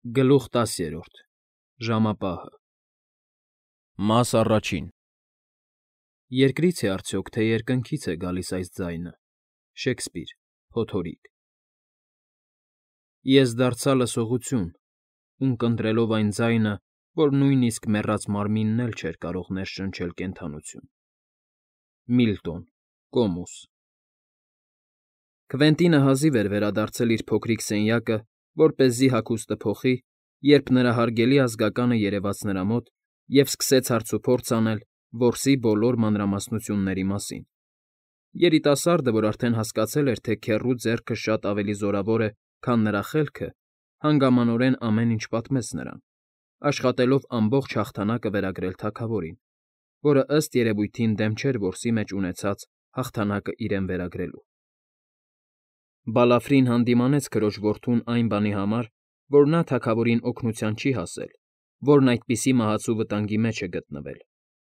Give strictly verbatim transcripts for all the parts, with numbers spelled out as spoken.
Գլուխ տասներորդ Ժամապահը Մաս առաջին Երկրի՞ց է արդյոք, թե երկնքի՞ց է գալիս այս ձայնը։ Շեքսպիր, Փոթորիկ Ես դարձա լսողություն, ունկնդրելով այն ձայնը, որ նույնիսկ մեռած մարմինն էլ չէր կարող ներշնչել կենդանություն։ Միլտոն, Կոմոս Քվենտինը հազիվ էր վերադարձել իր փոքրիկ սենյակը, որպեսզի հագուստը փոխի, երբ նրա հարգելի ազգականը երևաց նրա մոտ և սկսեց հարցուփորձ անել որսի բոլոր մանրամասնությունների մասին։ Երիտասարդը, որ արդեն հասկացել էր, թե քեռու ձեռքը շատ ավելի զորավոր է, քան նրա խելքը, հանգամանորեն ամեն ինչ պատմեց նրան, աշխատելով ամբողջ հաղթանակը վերագրել թագավորին, որը ըստ երևույթին դեմ չէր որսի մեջ ունեցած հաղթանակը իրեն վերագրելու։ Բալաֆրին հանդիմանեց քրոջ որդուն այն բանի համար, որ նա թագավորին օգնության չի հասել, որն այդպիսի մահացու վտանգի մեջ է գտնվել,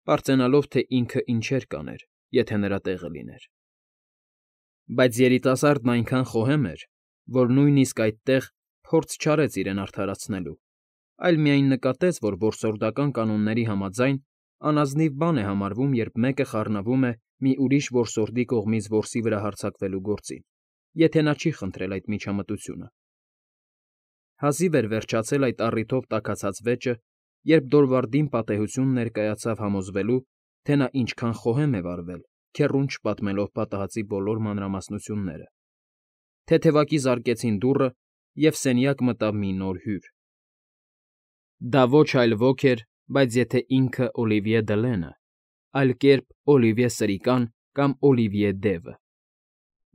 պարծենալով, թե ինքը ինչեր կաներ, եթե նրա տեղը լիներ։ Բայց երիտասարդն այնքան խոհեմ էր, որ նույնիսկ այդտեղ փորձ չարեց իրեն արդարացնելու, այլ միայն նկատեց, որ որսորդական կանոնների համաձայն անազնիվ բան է համարվում, երբ մեկը խառնվում է մի ուրիշ որսորդի կողմից որսի վրա հարձակվելու գործին, եթե նա չի խնդրել այդ միջամտությունը։ Հազիվ էր վերջացել այդ առիթով տաքացած վեճը, երբ Դորվարդին պատեհություն ներկայացավ համոզվելու, թե նա ինչքան խոհեմ է վարվել, քեռուն չպատմելով պատահածի բոլոր մանրամասնությունները։ Թեթևակի զարկեցին դուռը, և սենյակ մտավ մի նոր հյուր։ Դա ոչ այլ ոք էր, բայց եթե ինքը Օլիվիե Դլենը, այլ կերպ Օլիվիե Սրիկան կամ Օլիվիե Դևը։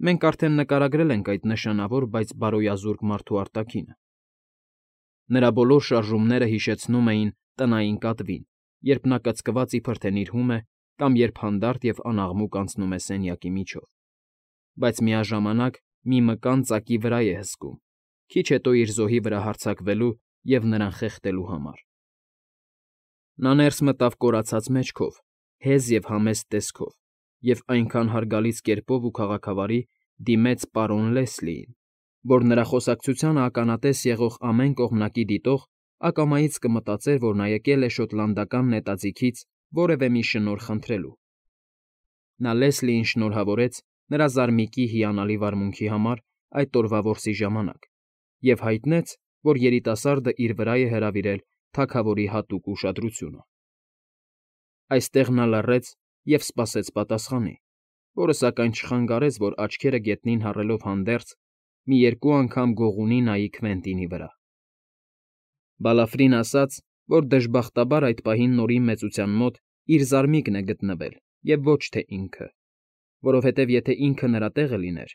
Մենք արդեն նկարագրել ենք այդ նշանավոր, բայց բարոյազուրկ մարդու արտաքինը։ Նրա բոլոր շարժումները հիշեցնում էին տնային կատվին, երբ նա կծկված իբր թե նիրհում է կամ երբ հանդարտ և անաղմուկ անցնում է սենյակի միջով, բայց միաժամանակ մի մկան ծակի վրա է հսկում, քիչ հետո իր զոհի վրա հարձակվելու և նրան խեղդելու համար։ Նա ներս մտավ կորացած մեջքով, հեզ և համեստ տեսքով, և այնքան հարգալից կերպով ու քաղաքավարի դիմեց պարոն Լեսլիին, որ նրա խոսակցությանը ականատես եղող ամեն կողմնակի դիտող ակամայից կմտածեր, որ նա եկել է շոտլանդական նետաձիգից որևէ մի շնորհ խնդրելու։ Նա Լեսլիին շնորհավորեց նրա զարմիկի հիանալի վարմունքի համար այդ օրվա որսի ժամանակ և հայտնեց, որ երիտասարդը իր վրա է հրավիրել թագավորի հատուկ ուշադրությունը։ Այստեղ նա լռեց և սպասեց պատասխանի, որը սակայն չխանգարեց, որ աչքերը գետնին հառելով հանդերձ, մի երկու անգամ գողունի նայի Քվենտինի վրա։ Բալաֆրին ասաց, որ դժբախտաբար այդ պահին Նորի մեծության մոտ իր զարմիկն է գտնվել և ոչ թե ինքը, որովհետև եթե ինքը նրա տեղը լիներ,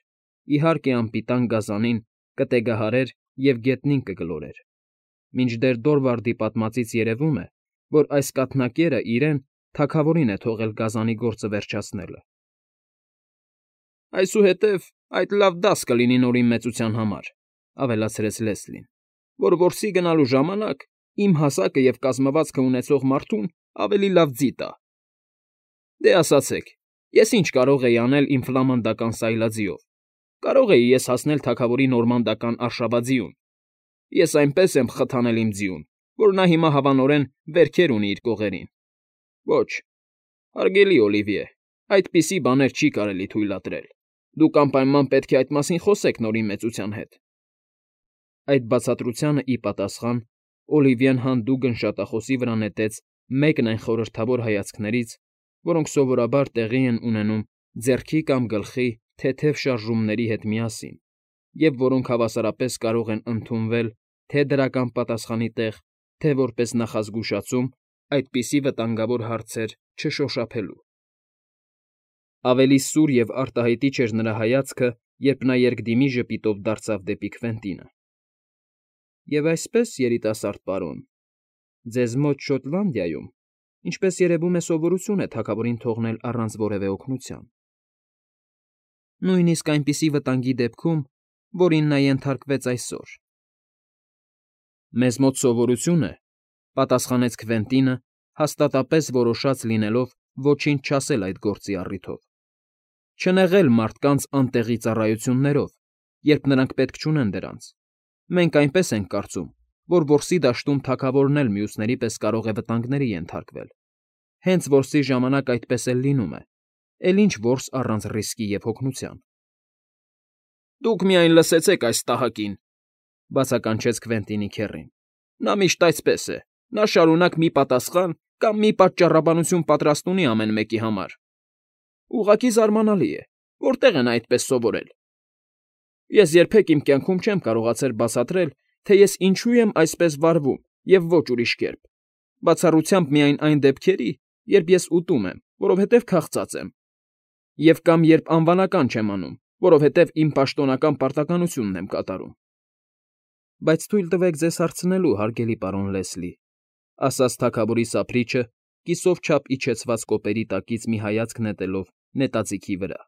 իհարկե անպիտան գազանին կտեգահարեր և գետնին կգլորեր, մինչդեռ Դորվարդի պատմածից երևում է, որ այս կաթնակերը իրեն, թագավորին է թողել գազանի գործը վերջացնելը։ Այսուհետև այդ լավ դաս կլինի Նորի մեծության համար, ավելացրեց Լեսլին, որ որսի գնալու ժամանակ իմ հասակը և կազմվածքը ունեցող մարդուն ավելի լավ ձի տա։ Դե, ասացեք, ես ինչ կարող էի անել իմ ֆլամանդական սայլաձիով, կարող էի ես հասնել թագավորի նորմանդական արշավաձիուն։ Ես այնպես եմ խթանել իմ ձիուն, որ նա հիմա հավանորեն վերքեր ունի իր կողերին։ Ոչ, հարգելի Օլիվիե, այդպիսի բաներ չի կարելի թույլատրել։ Դուք անպայման պետք է այդ մասին խոսեք Նորի մեծության հետ։ Այդ բացատրությանը ի պատասխան Օլիվիեն հանդուգն շատախոսի վրա նետեց մեկն այն խորհրդավոր հայացքներից, որոնք սովորաբար տեղի են ունենում ձեռքի կամ գլխի թեթև շարժումների հետ միասին, և որոնք հավասարապես կարող են ընդունվել թե դրական պատասխանի տեղ, թե որպես նախազգուշացում այդպիսի վտանգավոր հարցեր չշոշափելու։ Ավելի սուր և արտահայտիչ էր նրա հայացքը, երբ նա երկդիմի ժպիտով դարձավ դեպի Քվենտինը։ Եվ այսպես, երիտասարդ պարոն, ձեզ մոտ Շոտլանդիայում, ինչպես երևում է, սովորություն է թագավորին թողնել առանց որևէ օգնության։ Նույնիսկ այնպիսի վտանգի դեպքում, որին նա ենթարկվեց այսօր։ Մեզ մոտ սովորություն է, պատասխանեց Քվենտինը, հաստատապես որոշած լինելով ոչինչ չասել այդ գործի առիթով, չնեղել մարդկանց անտեղի ծառայություններով, երբ նրանք պետք չունեն դրանց։ Մենք այնպես ենք կարծում, որ որսի դաշտում թագավորն էլ մյուսների պես կարող է վտանգների ենթարկվել, հենց որսի ժամանակ այդպես էլ լինում է, էլ ինչ որս առանց ռիսկի և հոգնության։ ֊ Դուք միայն լսեցեք այս տահակին,֊ բացականչեց Քվենտինի քեռին։ Նա միշտ այսպես է, նա շարունակ մի պատասխան կամ մի պատճառաբանություն պատրաստ ունի ամեն մեկի համար։ Ուղղակի զարմանալի է, որտե՞ղ է նա այդպես սովորել։ Ես երբեք իմ կյանքում չեմ կարողացել բացատրել, թե ես ինչու եմ այսպես վարվում և ոչ ուրիշ կերպ, բացառությամբ միայն այն դեպքերի, երբ ես ուտում եմ, որովհետև քաղցած եմ, և կամ երբ անվանական չեմ անում, որովհետև իմ պաշտոնական պարտականությունն եմ կատարում։ ֊ Բայց թույլ տվեք ձեզ հարցնելու, հարգելի պարոն Լեսլի,֊ ասաց թագավորի սափրիչը, կիսով չափ իջեցված կոպերի տակից մի հայացք նետելով նետաձիգի վրա։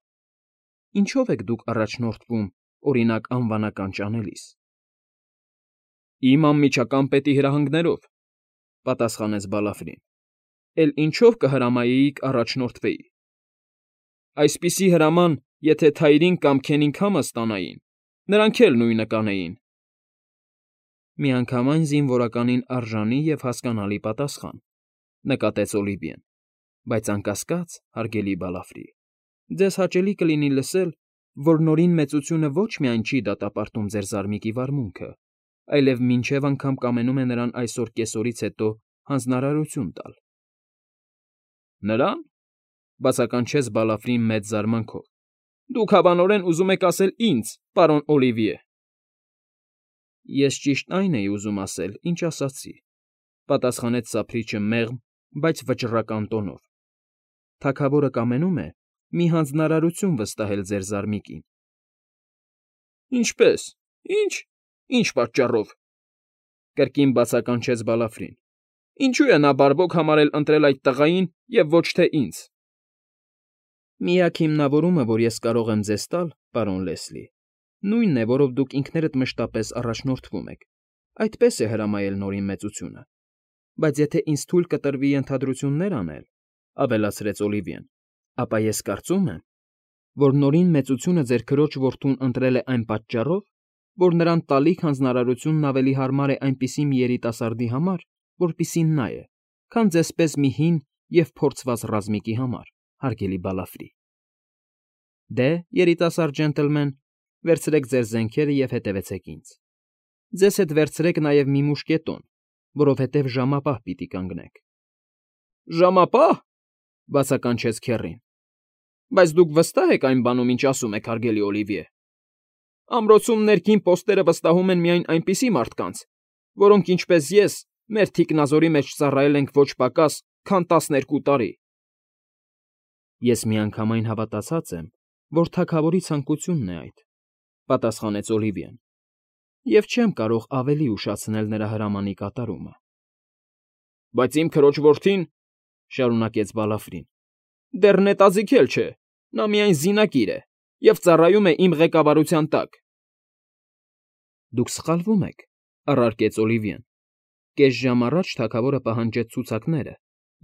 Ինչո՞վ եք դուք առաջնորդվում, օրինակ, անվանական ճանելիս։ ֊ Իմ անմիջական պետի հրահանգներով,֊ պատասխանեց Բալաֆրին,֊ էլ ինչո՞վ կհրամայեիք առաջնորդվեի։ Այսպիսի հրաման, եթե Թայրին կամ Քենիգհամը ստանային, նրանք էլ նույնը կանեին։ ֊ Միանգամայն զինվորականին արժանի և հասկանալի պատասխան,֊ նկատեց Օլիվիեն,֊ բայց անկասկած, հարգելի Բալաֆրի, ձեզ հաճելի կլինի լսել, որ Նորին Մեծությունը ոչ միայն չի դատապարտում ձեր զարմիկի վարմունքը, այլև մինչև անգամ կամենում է նրան այսօր կեսօրից հետո հանձնարարություն տալ։ ֊ Նրան,֊ բացականչեց Բալաֆրին մեծ զարմանքով,֊ դուք հավանորեն ուզում եք ասել ինձ, պարոն Օլիվիե։ ֊ Ես ճիշտ այն էի ուզում ասել, ինչ ասացի,֊ պատասխանեց սափրիչը մեղմ, բայց վճռական տոնով։ Թագավորը կամենում է մի հանձնարարություն վստահել ձեր զարմիկին։ ֊ Ինչպե՞ս, ի՞նչ, ի՞նչ պատճառով,֊ կրկին բացականչեց Բալաֆրին։ Ինչո՞ւ է նա բարվոք համարել ընտրել այդ տղային և ոչ թե ինձ։ ֊ Միակ հիմնավորումը, որ ես կարող եմ ձեզ տալ, պարոն Լեսլի, նույնն է, որով դուք ինքներդ մշտապես առաջնորդվում եք, այդպես է հրամայել Նորին Մեծությունը։ Բայց եթե ինձ թույլ կտրվի ենթադրություններ անել,֊ ավելացրեց Օլիվիեն,֊ ապա ես կարծում եմ, որ Նորին Մեծությունը ձեր քրոջ որդուն ընտրել է այն պատճառով, որ նրան տալիք հանձնարարությունն ավելի հարմար է այնպիսի մի երիտասարդի համար, որպիսին նա է, քան ձեզպես մի հին և փորձված ռազմիկի համար, հարգելի Բալաֆրի։ Դե, երիտասարդ ջենտլմեն, վերցրեք ձեր զենքերը և հետևեցեք ինձ։ Ձեզ հետ վերցրեք նաև մի մուշկետոն, որովհետև ժամապահ պիտի կանգնեք։ ֊ Ժամապա՞հ,֊ բացականչեց քեռին։ Բայց դուք վստահ եք այն բանում, ինչ ասում եք, հարգելի Օլիվիե։ Ամրոցում ներքին պոստերը վստահում են միայն այնպիսի մարդկանց, որոնք, ինչպես ես, մեր թիկնազորի մեջ ծառայել ենք ոչ պակաս, քան տասներկու տարի։ ֊ Ես միանգամայն հավատացած եմ, որ թագավորի ցանկությունն է այդ,֊ պատասխանեց Օլիվիեն,֊ և չեմ կարող ավելի ուշացնել նրա հրամանի կատարումը։ ֊ Բայց իմ քրոջ որդին,֊ շարունակեց Բալաֆրին,֊ դեռ նետաձիգ էլ չէ, նա միայն զինակիր է և ծառայում է իմ ղեկավարության տակ։ ֊ Դուք սխալվում եք,֊ առարկեց Օլիվիեն,֊ կես ժամ առաջ թագավորը պահանջեց ցուցակները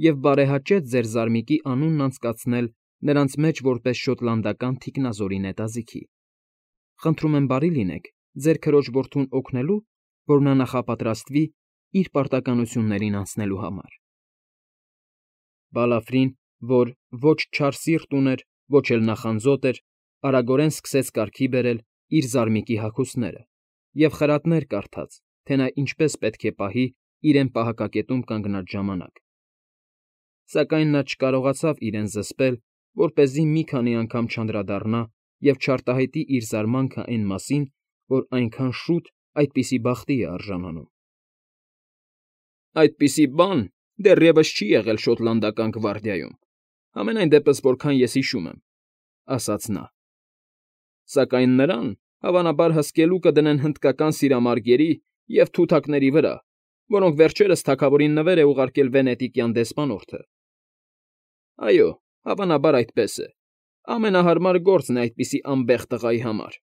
և բարեհաճեց ձեր զարմիկի անունն անցկացնել նրանց մեջ որպես շոտլանդական թիկնազորի նետաձիգի։ Խնդրում եմ բարի լինեք ձեր քրոջ որդուն օգնելու, որ նա նախապատրաստվի իր պարտականություններին անցնելու համար։ Բալաֆրին, որ ոչ չար սիրտ ուներ, ոչ էլ նախանձոտ էր, արագորեն սկսեց կարգի բերել իր զարմիկի հագուստները և խրատներ կարդաց, թե նա ինչպես պետք է պահի իրեն պահակակետում կանգնած ժամանակ։ Սակայն նա չկարողացավ իրեն զսպել, որպեսզի մի քանի անգամ չանդրադառնա և չարտահայտի իր զարմանքը այն մասին, որ այնքան շուտ այդպիսի բախտի է արժանանում։ ֊ Այդպիսի բան դեռևս չի եղել շոտլանդական գվարդիայում, համենայն դեպս որքան ես հիշում եմ,֊ ասաց նա։ Սակայն նրան, հավանաբար, հսկելու կդնեն հնդկական սիրամարգերի և թութակների վրա, որոնք վերջերս թագավորին նվեր է ուղարկել վենետիկյան դեսպանորդը։ Այո, հավանաբար այդպես է, ամենահարմար գործն է այդպիսի անբեղ տղայի համար։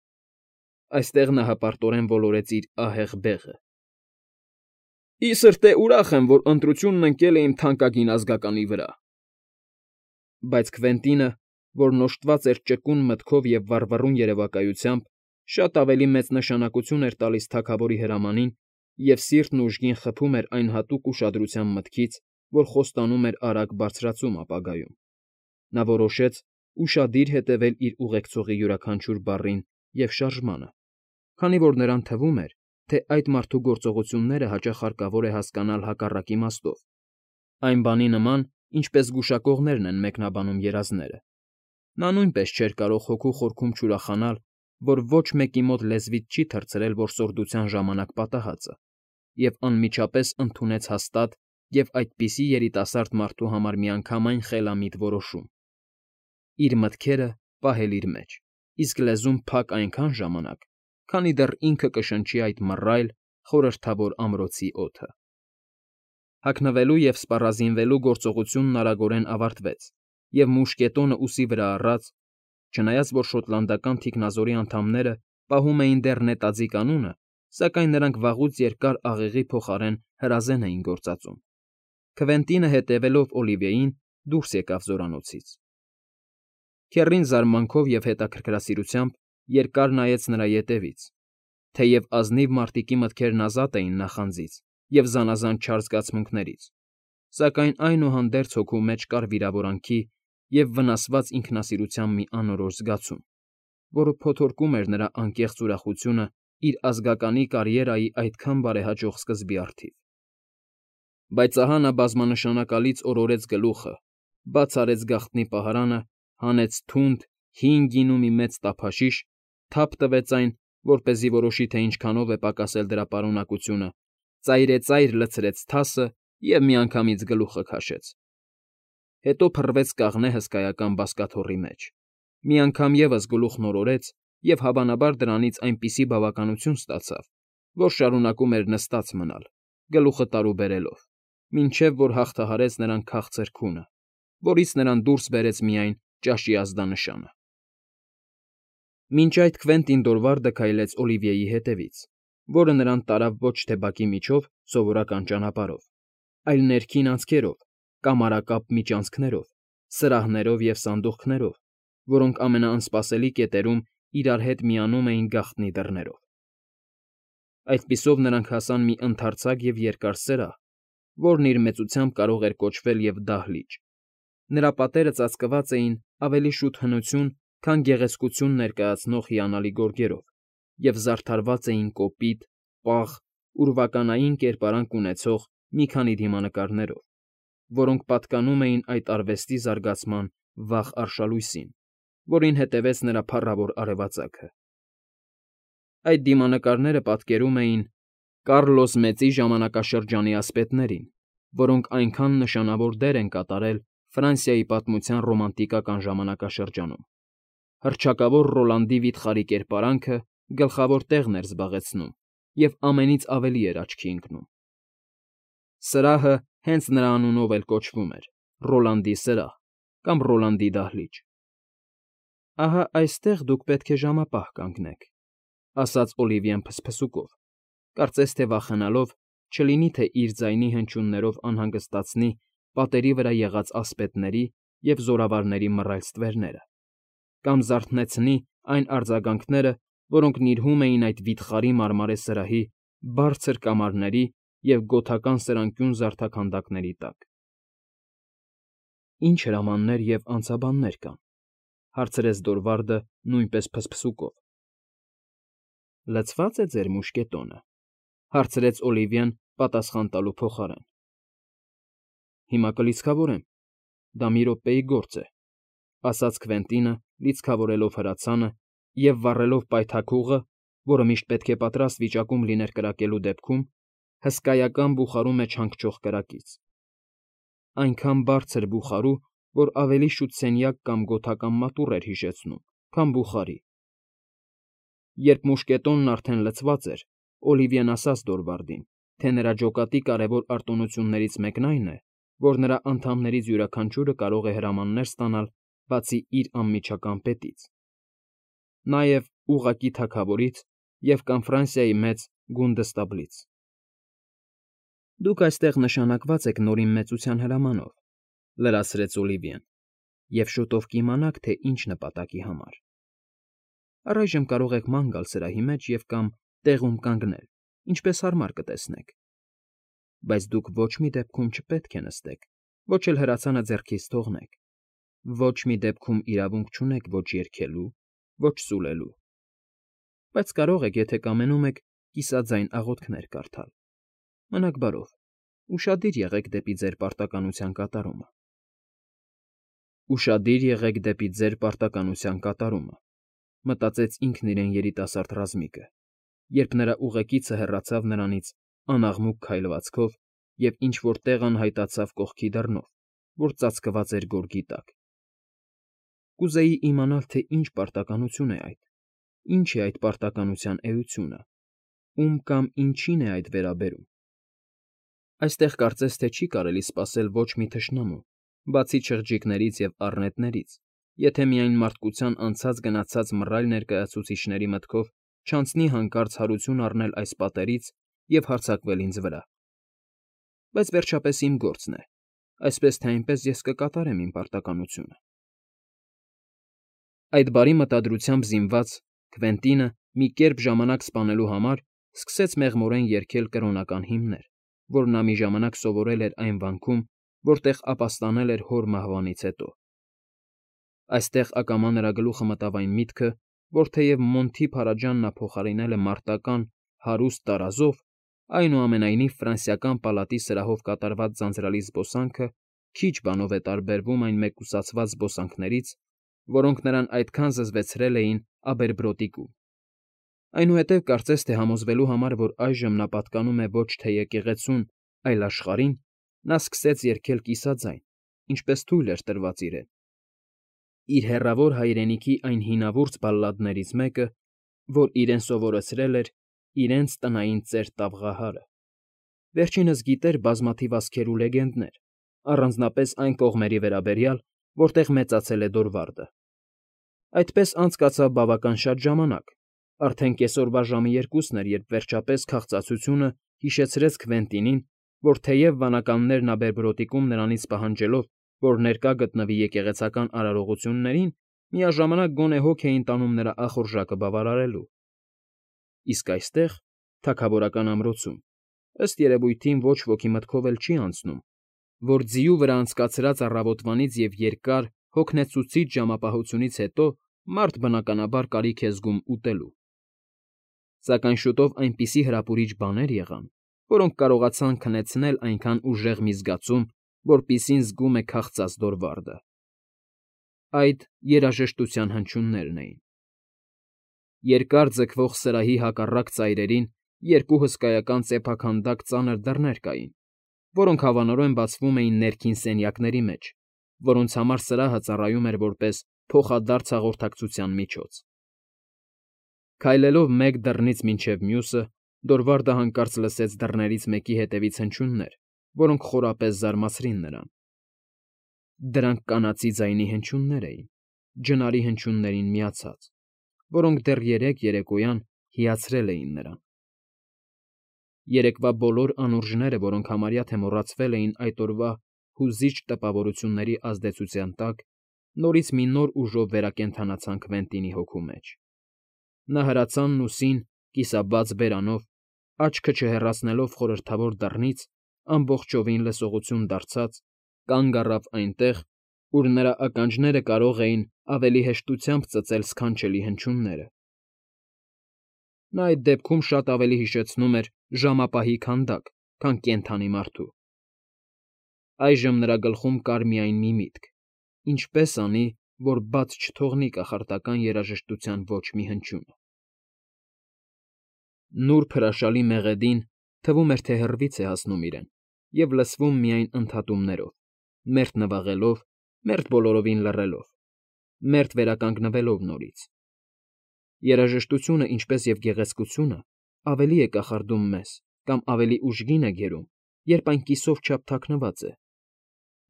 Այստեղ նա հպարտորեն ոլորեց իր ահեղ բեղը։ ֊ Ի սրտե ուրախ եմ, որ ընտրությունն ընկել է իմ թանկագին ազգականի վրա։ Բայց Քվենտինը, որն օժտված էր ճկուն մտքով և վառվռուն երևակայությամբ, շատ ավելի մեծ նշանակություն էր տալիս թագավորի հրամանին և սիրտն ուժգին խփում էր այն հատուկ ուշադրության մտքից, որ խոստանում էր արագ բարձրացում ապագայում. նա որոշեց ուշադիր հետևել իր ուղեկցողի յուրաքանչյուր բառին և շարժմանը, քանի որ նրան թվում էր, թե այդ մարդու գործողությունները հաճախ հարկավոր է հասկանալ հակառակ իմաստով, այն բանի նման, ինչպես գուշակողներն են մեկնաբանում երազները. նա նույնպես չէր կարող հոգու խորքում չուրախանալ, որ ոչ մեկի մոտ լեզվից չի թռցրել որսորդության ժամանակ պատահածը, և անմիջապես ընդունեց հաստատ և այդպիսի երիտասարդ մարդու համար միանգամայն խելամիտ որոշում. իր մտքերը պահել իր մեջ, իսկ լեզուն փակ այնքան ժամանակ, քանի դեռ ինքը կշնչի այդ մռայլ, խորհրդավոր ամրոցի օդը։ Հագնվելու և սպառազինվելու գործողությունն արագորեն ավարտվեց, և մուշկետոնը ուսի վրա առած, չնայած որ շոտլանդական թիկնազորի անդամները պահում էին դեռ նետաձիգ անունը, սակայն նրանք վաղուց երկար աղեղի փոխարեն հրազեն էին գործածում, Քվենտինը հետևելով Օլիվիեին դուրս եկավ զորանոցից։ Քեռին զարմանքով և հետաքրքրասիրությամբ երկար նայեց նրա ետևից, թեև ազնիվ մարտիկի մտքերն ազատ էին նախանձից և զանազան չար զգացմունքներից, սակայն այնուհանդերձ հոգու մեջ կար վիրավորանքի և վնասված ինքնասիրության մի անորոշ զգացում, որը փոթորկում էր նրա անկեղծ ուրախությունը իր ազգականի կարիերայի այդքան բարեհաջող սկզբի առթիվ։ Բայց ահա նա բազմանշանակալից օրորեց գլուխը, բաց արեց գաղտնի պահարանը, հանեց թունդ, հին գինու մի մեծ տափաշիշ, թափ տվեց այն, որպեսզի որոշի, թե ինչքանով է պակասել դրա պարունակությունը, ծայրեծայր լցրեց թասը և միանգամից գլուխը քաշեց։ Հետո փռվեց կաղնե հսկայական բազկաթոռի մեջ, մի անգամ ևս գլուխն օրորեց և հավանաբար դրանից այնպիսի բավականություն ստացավ, որ շարունակում էր նստած մնալ, գլուխը տարուբերելով, մինչև որ հաղթահարեց նրան քաղցր քունը, որից նրան դուրս բերեց միայն ճաշի ազդանշանը։ Մինչ այդ Քվենտին Դորվարդը քայլեց Օլիվիեի հետևից, որը նրան տարավ ոչ թե բակի միջով սովորական ճանապարհով, այլ ներքին անցքերով, կամարակապ միջանցքներով, սրահներով և սանդուղքներով, որոնք ամենաանսպասելի կետերում իրար հետ միանում էին գաղտնի դռներով։ Այդպիսով նրանք հասան մի ընդարձակ և երկար սրահ, որն իր մեծությամբ կարող էր կոչվել և դահլիճ. նրա պատերը ծածկված էին ավելի շուտ հնություն, քան գեղեցկություն ներկայացնող հիանալի գորգերով և զարդարված էին կոպիտ, պաղ, ուրվականային կերպարանք ունեցող մի քանի դիմանկարներով, որոնք պատկանում էին այդ արվեստի զարգացման վաղ արշալույսին, որին հետևեց նրա փառավոր արևածագը։ Այդ դիմանկարները պատկերում էին Կառլոս Մեծի ժամանակաշրջանի ասպետներին, որոնք այնքան նշանավոր դեր են կատարել Ֆրանսիայի պատմության ռոմանտիկական ժամանակաշրջանում։ Հռչակավոր Ռոլանդի վիթխարի կերպարանքը գլխավոր տեղն էր զբաղեցնում և ամենից ավելի էր աչքի ընկնում։ Սրահը հենց նրա անունով էլ կոչվում էր Ռոլանդի սրահ կամ Ռոլանդի դահլիճ։ «Ահա այստեղ դուք պետք է ժամապահ կանգնեք», ֊ ասաց Օլիվիեն փսփսուկով, կարծես թե վախենալով, չլինի թե իր ձայնի հնչյուններով անհանգստացնի պատերի վրա եղած ասպետների և զորավարների մռայլ ստվերները, կամ զարթնեցնի այն արձագանքները, որոնք նիրհում էին այդ վիթխարի մարմարե սրահի բարձր կամարների և գոթական սրանկյուն զարդաքանդակների տակ։ «Ի՞նչ հրամաններ և անձաբաններ կան», ֊ հարցրեց Դորվարդը նույնպես փսփսուկով։ «Լցվա՞ծ է ձեր մուշկետոնը», ֊ հարցրեց Օլիվիեն պատասխան տալու փոխարեն։ «Հիմա կլիցքավորեմ, դա մի րոպեի գործ է», ֊ ասաց Քվենտինը, լիցքավորելով հրացանը և վառելով պայթակուղը, որը միշտ պետք է պատրաստ վիճակում լիներ կրակելու դեպքում, հսկայական բուխարու մեջ հանգչող կրակից, այնքան բարձր բուխարու, որ ավելի շուտ սենյակ կամ գոթական մատուռ էր հիշեցնում, քան բուխարի։ Երբ մուշկետոնն արդեն լցված էր, Օլիվիեն ասաց Դորվարդին, թե նրա ջոկատի կարևոր արտոնություններից մեկն այն է, որ նրա անդամներից յուրաքանչյուրը կարող է հրամաններ ստանալ բացի իր անմիջական պետից, նաև ուղղակի թագավորից և կամ Ֆրանսիայի մեծ գունդստաբլից։ «Դուք այստեղ նշանակված եք Նորին Մեծության հրամանով», ֊ լրացրեց Օլիվիեն, «և շուտով կիմանաք, թե ինչ նպատակի համար։ Առայժմ կարող եք ման գալ սրահի մեջ և կամ տեղում կանգնել, ինչպես հարմար կտեսնեք։ Բայց դուք ոչ մի դեպքում չպետք է նստեք, ոչ էլ հրացանը ձեռքից թողնեք, ոչ մի դեպքում իրավունք չունեք ոչ երգելու, ոչ սուլելու։ Բայց կարող եք, եթե կամենում եք, կիսաձայն աղոթքներ կարդալ։ Մնաք բարով, ուշադիր եղեք դեպի ձեր պարտականության կատարումը։ Ուշադիր եղեք դեպի ձեր պարտականության կատարումը, մտածեց ինքն իրեն երիտասարդ ռազմիկը, երբ նրա ուղեկիցը հեռացավ նրանից անաղմուկ քայլվածքով և ինչ֊որ տեղ անհայտացավ կողքի դռնով, որ ծածկված էր գորգի տակ։ Կուզեի իմանալ, թե ինչ պարտականություն է այդ, ինչ է այդ պարտականության էությունը, ում կամ ինչին է այդ վերաբերում։ Այստեղ կարծես թե չի կարելի սպասել ոչ մի թշնամու, բացի չղջիկներից և առնետներից, եթե միայն մարդկության անցած֊գնացած մռայլ ներկայացուցիչների մտքով չանցնի հանկարծ հարություն առնել այս պատերից և հարձակվել ինձ վրա։ Բայց վերջապես իմ գործն է, այսպես թե այնպես ես կկատարեմ իմ պարտականությունը։ Այդ բարի մտադրությամբ զինված Քվենտինը մի կերպ ժամանակ սպանելու համար սկսեց մեղմորեն երգել կրոնական հիմներ, որ նա մի ժամանակ սովորել էր այն վանքում, որտեղ ապաստանել էր հոր մահվանից հետո։ Այստեղ ակամա նրա գլուխը մտավ այն միտքը, որ թեև Մոնթի Փարաջանն նա փոխարինել է մարտական, հարուստ տարազով, այնուամենայնիվ ֆրանսիական պալատի սրահով կատարված ձանձրալի զբոսանքը քիչ բանով է տարբերվում այն մեկուսացված զբոսանքներից, որոնք նրան այդքան զզվեցրել էին Աբերբրոտիկում։ Այնուհետև կարծես թե համոզվելու համար, որ այժմ նա պատկանում է ոչ թե եկեղեցուն, այլ աշխարհին, նա սկսեց երգել կիսաձայն, ինչպես թույլ էր տրված իրեն։ Իր հեռավոր հայրենիքի այն հինավուրց բալլադներից մեկը, որ իրեն սովորեցրել էր իրենց տնային ծեր Տավղահարը։ Վերջինս գիտեր բազմաթիվ ասքեր ու լեգենդներ, առանձնապես այն կողմերի վերաբերյալ, որտեղ մեծացել է Դորվարդը։ Այդպես անցկացավ բավական շատ ժամանակ, արդեն կեսօրվա ժամը երկուսն էր, երբ վերջապես քաղցածությունը հիշեցրեց Քվենտինին, որ թեև վանականներն Աբերբրոտիկում նրանից պահանջելով, որ ներկա գտնվի եկեղեցական արարողություններին, միաժամանակ գոնե հոգ էին տանում նրա ախորժակը բավարարելու։ Իսկ այստեղ, թագավորական ամրոցում, ըստ երևույթին ոչ ոքի մտքով էլ չի անցնում, որ ձիու վրա անցկացրած առավոտվանից և երկար, հոգնեցուցիչ ժամապահությունից հետո մարդ բնականաբար կարիք է զգում ուտելու։ Սակայն շուտով այնպիսի հրապուրիչ բաներ եղան, որոնք կարողացան քնեցնել այնքան ուժեղ մի զգացում, որպիսին զգում է քաղցած Դորվարդը։ Այդ երաժշտության հնչյուններն էին։ Երկար ձգվող սրահի հակառակ ծայրերին երկու հսկայական սեփականδակ ծանր դռներ կային, որոնք հավանորեն բացվում էին ներքին սենյակների մեջ, որոնց համար սրահը ծառայում էր որպես փոխադարձ հաղորդակցության միջոց։ Քայլելով մեկ դռնից մինչև մյուսը, Դորվարդը հանկարծ լսեց դռներից մեկի հետևից հնչյուններ, որոնք խորապես զարմացրին նրան։ Դրանք կանացի ձայնի հնչյուններ էին, ջնարի հնչյուններին միացած, որոնք դեռ երեկ երեկոյան հիացրել էին նրան։ Երեկվա բոլոր անուրջները, որոնք համարյա թե մոռացվել էին այդ օրվա հուզիչ տպավորությունների ազդեցության տակ, նորից մի նոր ուժով վերակենդանացան Քվենտինի հոգու մեջ։ Նա հրացանն ուսին, կիսաբաց բերանով, աչքը չհեռացնելով խորհրդավոր դռնից, ամբողջովին լսողություն դարձած, կանգ առավ այնտեղ, ուր նրա ականջները կարող էին ավելի հեշտությամբ ծծել սքանչելի հնչյունները։ Նա այդ դեպքում շատ ավելի հիշեցնում էր ժամապահի քանդակ, քան կենդանի մարդու։ Այժմ նրա գլխում կար միայն մի միտք. ինչպես անի, որ բաց չթողնի կախարդական երաժշտության ոչ մի հնչյունը։ Նուրբ հրաշալի մեղեդին թվում էր, թե հեռվից է հասնում իրեն և լսվում միայն ընդհատումներով, մերթ նվաղելով, մերթ բոլորովին լռելով, մերթ վերականգնվելով նորից։ Երաժշտությունը, ինչպես և գեղեցկությունը, ավելի է կախարդում մեզ կամ ավելի ուժգին է գերում, երբ այն կիսով չափ թաքնված է,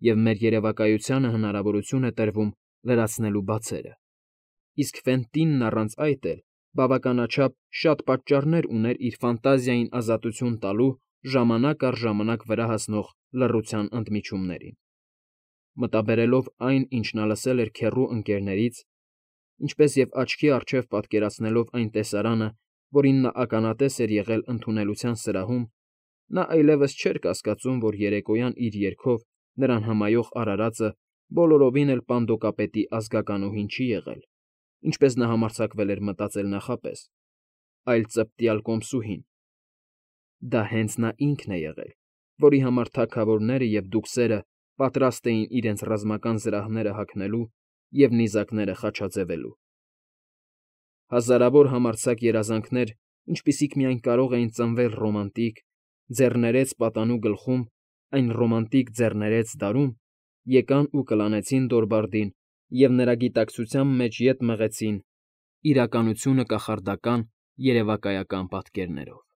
և մեր երևակայությանը հնարավորություն է տրվում լրացնելու բացերը։ Իսկ Ֆենտինն առանց այդ էլ բավականաչափ շատ պատճառներ ուներ իր ֆանտազիային ազատություն տալու ժամանակ առ ժամանակ վրա հասնող լռության ընդմիջումներին։ Մտաբերելով այն, ինչ նա լսել էր քեռու ընկներներից, ինչպես և աչքի առջև պատկերացնելով այն տեսարանը, որին նա ականատես էր եղել ընդունելության սրահում, նա այլևս չէր կասկածում, որ երեկոյան իր երգով նրան հմայող արարածը բոլորովին էլ պանդոկապետի ազգականուհին չի եղել, ինչպես նա համարձակվել էր մտածել նախապես, այլ ծպտյալ կոմսուհին. դա հենց նա ինքն է եղել, որի համար թագավորները և դուքսերը պատրաստ էին իրենց ռազմական զրահները հագնելու և նիզակները խաչաձևելու։ Հազարավոր համարձակ երազանքներ, ինչպիսիք միայն կարող էին ծնվել ռոմանտիկ, ձեռներեց պատանու գլխում, այն ռոմանտիկ ձեռներեց դարում, եկան ու կլանեցին Դորբարդին և նրա գիտակցության մեջ ետ մղեցին իրականությունը կախարդական երևակայական պատկերներով։